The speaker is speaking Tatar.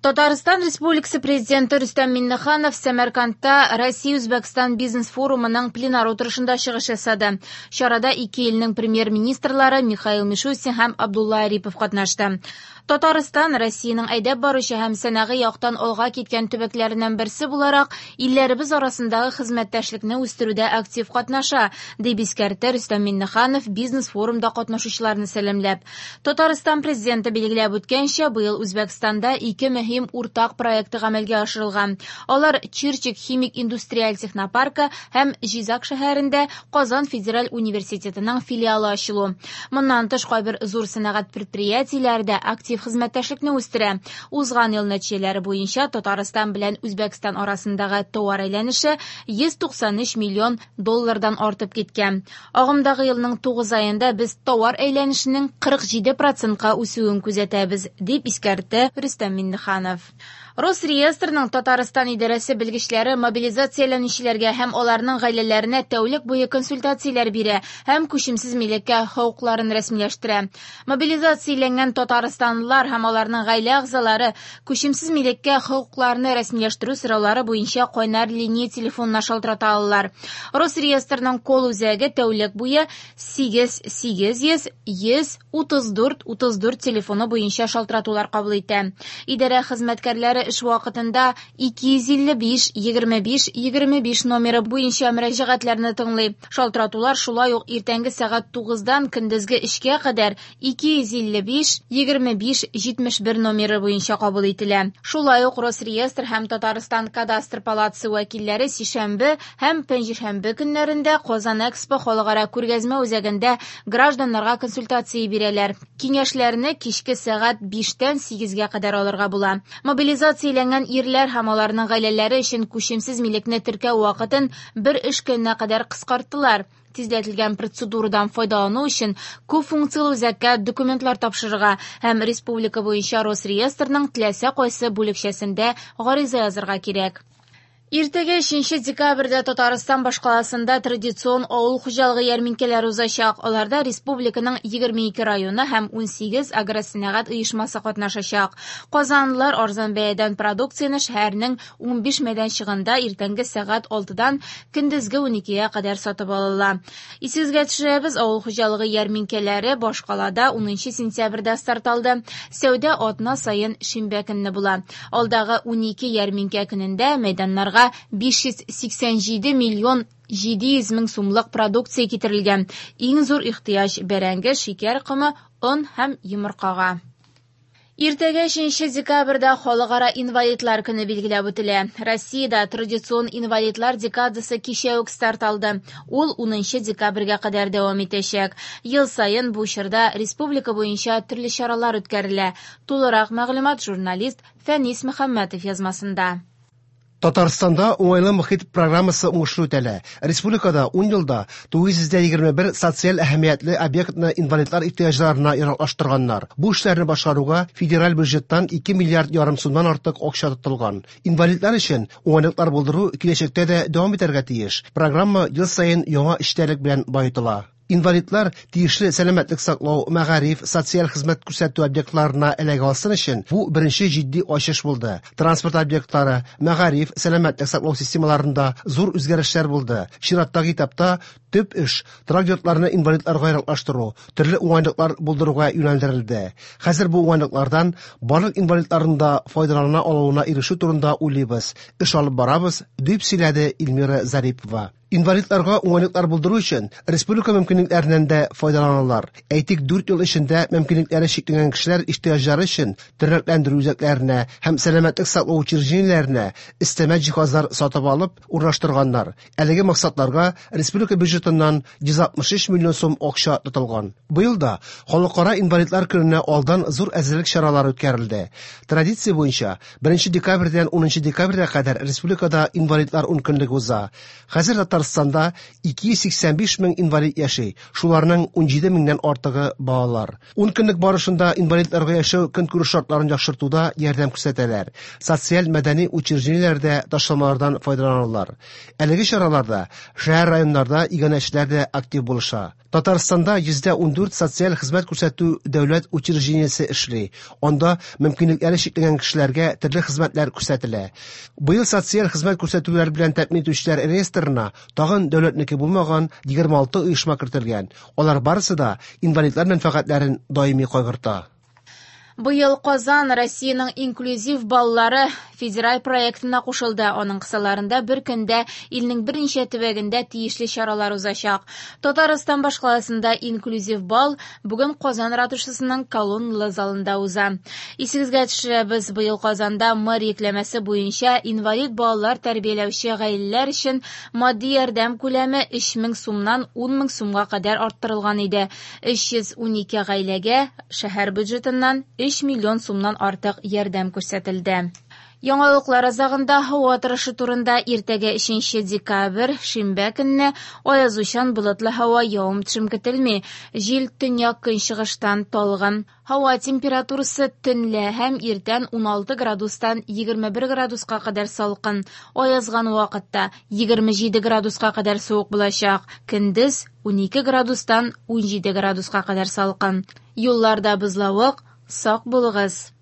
Татарстан Республикасы Президенты Рөстәм Миңнеханов Сәмәркандта Россия-Үзбәкстан бизнес-форумының пленар утырышында чыгыш ясады. Чарада ике илнең премьер-министрлары Михаил Мишустин һәм Абдулла Арипов катнашты. Татарстан, Россиянең әйдәп баручы һәм сәнәгый яктан алга киткән төбәкләреннән берсе буларак, илләребез арасындагы хезмәттәшлекне үстерүдә актив катнаша, дип искәртте Рөстәм Миңнеханов бизнес-форумда катнашучыларны сәламләп. Татарстан Президенты билгеләп үткәнчә, быел Үзбәкстанда ике мөһим уртак проекты гамәлгә ашырылган. Алар Чирчик химик индустриаль технопаркы һәм Җизак шәһәрендә Казан федераль университетының филиалы ачылу. Моннан тыш, кайбер зур сәнәгать предприятиеләре дә актив хезмәттәшлекне үстерә. Узган ел нәтиҗәләре буенча Татарстан белән Үзбәкстан арасындагы товар әйләнеше 193 миллион доллардан артып киткән. Агымдагы елның 9 аенда без товар әйләнешенең 47 процентка үсүен күзәтәбез, дип искәртте Рөстәм Миңнеханов. Росреестрның Татарстан идарәсе белгечләре мобилизацияләнүчеләргә һәм аларның гаиләләренә тәүлек буе консультацияләр бирә һәм күчемсез милеккә хокукларын рәсмиләштерә. Мобилизацияләнгән татарстанлылар һәм аларның гаилә әгъзалары күчемсез милеккә хокукларны рәсмиләштерү сораулары буенча кайнар линия телефонына шалтырата алалар. Росреестрның колл-үзәге тәүлек буе 8 800 134 34 телефоны буенча шалтыратулар кабул итә. Идарә хезмәткәрләре эш вакытында 255 25 25 номеры буенча мөрәҗәгатьләрне тыңлый. Шалтыратулар шулай ук иртәнге сәгать 9-дан көндезге 3-кә кадәр 255 25 71 номеры буенча кабул ителә. Шулай ук Росреестр һәм Татарстан кадастр палатасы вәкилләре сишәмбе һәм пәнҗешәмбе көннәрендә Казан Экспо халыкара күргәзмә үзәгендә гражданнарга консультация бирәләр. Киңәшләрне кичке сәгать 5-тән 8-гә кадәр алырга була. Мобилизацияләнгән ирләр һәм аларның гаиләләре өчен күчемсез милекне теркәү вакытын бер эш көненә кадәр кыскарттылар. Тизләтелгән процедурадан файдалану өчен күп функцияле үзәккә документлар тапшырырга һәм республика буенча Росреестрның теләсә кайсы бүлекчәсендә гариза язырга кирәк. Иртәгә 3 декабрьдә Татарстан башкаласында традицион авыл хуҗалыгы ярминкәләре узачак. Аларда республиканың 22 районы һәм 18 агросәнәгать оешмасы катнашачак. Казанлылар арзан бәядән продукцияне шәһәрнең 15 мәйданчыгында иртәнге сәгать 6-дан көндезге 12-гә кадәр сатып ала. Исегезгә төшерәбез, авыл хуҗалыгы ярминкәләре башкалада 10 сентябрьдә старт алды. Сәүдә атна саен шимбә көнне була. Алдагы 12 ярминкә көнендә мәйданнарга 587 миллион 700 мең сумлык продукция китерелгән. Иң зур ихтыяҗ бәрәңге, шикәр комы, он һәм йомыркага. Иртәгә 3 декабрьдә Халыкара инвалидлар көне билгеләп үтелә. Россиядә традицион инвалидлар декадасы кичә үк старт алды. Ул 10 декабрьгә кадәр дәвам итәчәк. Ел саен бу чорда республика буенча төрле чаралар үткәрелә. Тулырак мәгълүмат журналист Фәнис Мөхәммәтов язмасында. Татарстанда уңайлы мохит программасы уңышлы үтәлә. Республикада 10 елда 921 социаль әһәмиятле объектны инвалидлар ихтыяҗларына яраклаштырганнар. Бу эшләрне башкаруга федераль бюджеттан 2 миллиард ярым сумнан артык акча тотылган. Инвалидлар өчен уңайлыклар булдыру киләчәктә дә дәвам итәргә тиеш. Программа ел саен яңа эчтәлек белән баетыла. Инвалидлар тиешле сәламәтлек саклау, мәгариф, социаль хезмәт күрсәтү объектларына эләгә алсын өчен бу беренче җитди ачыш булды. Транспорт объектлары, мәгариф, сәламәтлек саклау системаларында зур үзгәрешләр булды. Чираттагы этапта төп эш торак йортларны инвалидларга яраклаштыру, төрле уңайлыклар булдыруга юнәлдерелде. Хәзер бу уңайлыклардан барлык инвалидларның да файдалана алуына ирешү турында уйлыйбыз. Эш алып барабыз, дип сөйләде Эльмира Зарипова. Инвалидларга уңайлыклар булдыру өчен республика мөмкинлекләреннән дә файдаланалар. Әйтик, 4 ел эчендә мөмкинлекләре чикләнгән кешеләр ихтыяҗлары өчен тернәкләндерү үзәкләренә һәм сәламәтлек саклау учреждениеләренә өстәмә җиһазлар сатып алып урнаштырганнар. Әлеге максатларга республика бюджетыннан 163 миллион сум акча тотылган. Быел да Халыкара инвалидлар көненә алдан зур әзерлек чаралары үткәрелде. Традиция буенча 1 декабрьдән 10 декабрьгә кадәр республикада инвалидлар ункөнлеге уза. Хәзер Татарстанда 285 мең инвалид яши, шуларның 17 меңнән артыгы балалар. 10 көнлек барышында инвалидларга яшәү көнкүреш шартларын яхшыртуда ярдәм күрсәтәләр. Социаль мәдәни учреждениеләрдә ташламалардан файдаланалар. Әлеге чараларда шәһәр районнарда иганә иганәчеләр дә актив булыша. Татарстанда 114 социаль хезмәт күрсәтү дәүләт учреждениесе эшли. Анда мөмкинлекләре чикләнгән кешеләргә төрле хезмәтләр күрсәтелә. Быел социаль хезмәт күрсәтүләр белән тәэмин итүчеләр реестрына тагын дәүләтнеке булмаган 26 оешма кертелгән. Алар барысы да инвалидлар мәнфәгатьләрен даими кайгырта. Быел Казан Россиянең инклюзив баллары федераль проектына кушылды. Аның кысаларында бер көндә илнең берничә төбәгендә тиешле чаралар узачак. Татарстан башкаласында инклюзив бал бүген Казан ратушасының колонналы залында уза. Исегезгә төшерәбез, быел Казанда мэр йөкләмәсе буенча инвалид балалар тәрбияләүче гаиләләр өчен матди ярдәм күләме 3000 сумнан 10000 сумга кадәр арттырылган иде. 312 гаиләгә шәһәр бюджетыннан 3 миллион сумнан артык ярдәм күрсәтелде. Яңалыклар азагында һава торышы турында иртәгә 3 декабрь, шимбә көнне аязучан болытлы һава, явым-төшем көтелми. Җил төньяк көнчыгыштан талгын. Һава температурасы төнлә һәм иртән 16 градустан 21 градуска кадәр салкын. Аязган вакытта 27 градуска кадәр суык булачак. Көндез 12 градустан 17 градуска кадәр салкын. Юлларда бозлавык, сак булыгыз.